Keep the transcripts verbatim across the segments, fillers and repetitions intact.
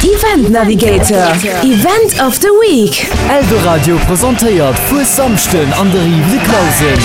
Event Navigator, Event of the Week. Eldoradio presentéiert Fuessamschden an der Rive de Clausen.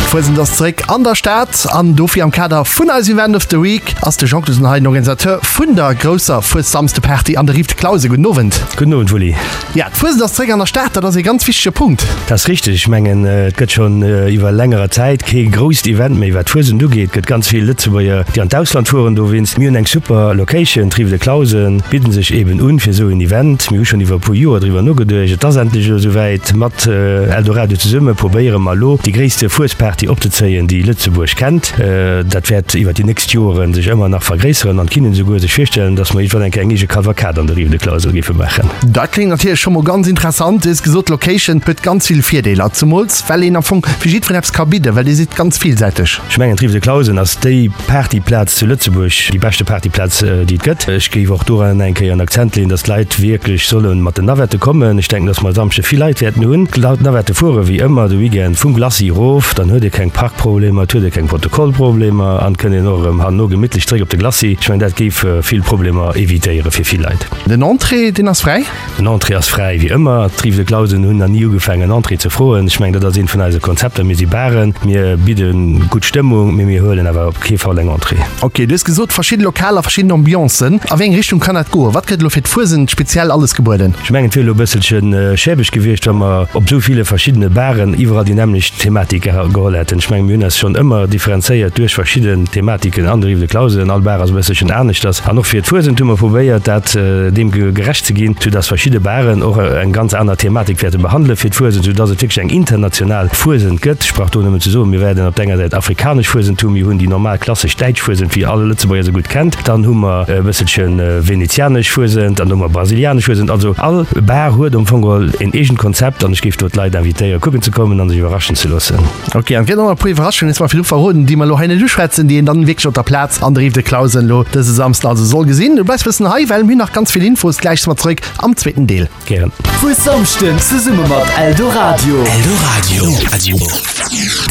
D'Fuesent ass zeréck an der Stad an dofir am Kader vun eisem Event of the Week ass de Jean Clausen hei, den Organisateur vun der grousser Fuessamsde-Party an der Rive de Clausen. Gudden Owend. Gudden Owend, Wulli. Ja, d'Fuesent ass zeréck an der Stad, dat ass ee ganz wichtege Punkt. Dat ass richteg. Ech mengen, et gëtt schonn iwwer längerer Zäit kee grousst Event méi, wat d'Fuesent ugeet. Et gëtt ganz vill Lëtzebuerger, déi an d'Ausland fueren dowéinst. Mir hunn eng super Location, d'Rive de Clausen bidden sech eben un fir esou en Event. Mir hu schonn iwwer e puer Joer driwwer nogeduecht. Et ass endlech elo esouwäit. Mat Eldoradio zesumme probéiere mer elo, déi gréisste Fuesparty opzezéien, déi Lëtzebuerg kennt. Dat wäert iwwer déi nächst Joren sech ëmmer nach vergréisseren an d'Kinne souguer sech virstellen, dass mer iergendwann eng Kéier eng eege Cavalcade an der Rive de Clausen géife maachen. Dat kléngt natierlech scho mol ganz interessant. Du hues gesot, d'Location huet ganz vill Virdeeler, zemools well een am Fong fir jiddwereen eppes ka bidden, well Dir sidd ganz villsäiteg. Ech mengen, d'Rive de Clausen ass déi Partyplaz zu Lëtzebuerg, déi beschte Partyplaz, déi et gëtt. Ech géif och doran eng Kéier en Akzent leeën, dass d'Leit wierklech solle mat den Navette kommen. Ech denken, dass mer e Samschde vill Leit wäerten hunn. D'Navette fuere wéi ëmmer de Weekend vum Glacis erof, dann huet ee keng Parkproblemer, et huet ee keng Protokollproblemer an et kënnt een och erëm herno gemittlech zréck op de Glacis. Ech mengen, dat géif vill Problemer evitéiere fir vill Leit. Den Entrée, deen ass fräi? Den Entrée ass fräi, wéi ëmmer. D'Rives de Clausen hunn nach ni ugefaangen, Entrée ze froen. Ech mengen, dat ass eent vun eise Konzepter. Mir si Baren, mir bidde gutt Stëmmung, mee mir huelen awer op kee Fall eng Entrée. Ok, du hues gesot, verschidde Lokaler, verschidden Ambiancen. A wéi eng Richtung kann dat goen? Wat gëtt elo fir d'Fuesent speziell alles gebueden? Ech mengen, et wier elo e bësselche schäbeg gewiescht, wa mer op esou ville verschiddene Baren iwwerall déi nämmlecht Thematik geholl hätten. Ech mengen, mir hunn eis schonn ëmmer differenzéiert duerch verschidden Thematiken an der Rive de Clausen. All Bar ass e bësselchen aneschters. An och fir d'Fuesent hu mer probéiert, dat deem gerecht ze ginn, soudass verschidde Baren och eng ganz aner Thematik wäerte behandele fir d'Fuesent, soudass et wierklech eng international Fuesent gëtt. Ech brauch do nëmmen ze soen, mir wäerten op der enger Säit afrikanesch Fuesent hunn, mir hunn déi normal klassesch däitsch Fuesent, wéi all Lëtzebuerger se gutt kennt, dann hu mer e bësselche venezianesch Fuesent an da hu mer brasilianesch Fuesent. Also all Bar huet am Fong geholl een eegent Konzept an ech géif do d'Leit invitéieren, kucken ze kommen an sech iwwerraschen ze loossen. Ok, an et gëtt och nach e puer Iwwerraschungen, hues mer virdru verroden, déi mer elo hei net uschwätzen, déi een dann wierklech op der Plaz an der Rive de Clausen elo dëse Samsden also soll gesinn. Du bleifs bëssen hei, well mir hunn nach ganz vill Infos. Gläich si mer zeréck am zweeten Deel. Gären. Fuessamschden zesumme mat Eldoradio. Eldoradio.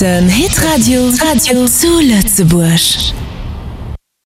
Den Hitradio Radio zu Lëtzebuerg.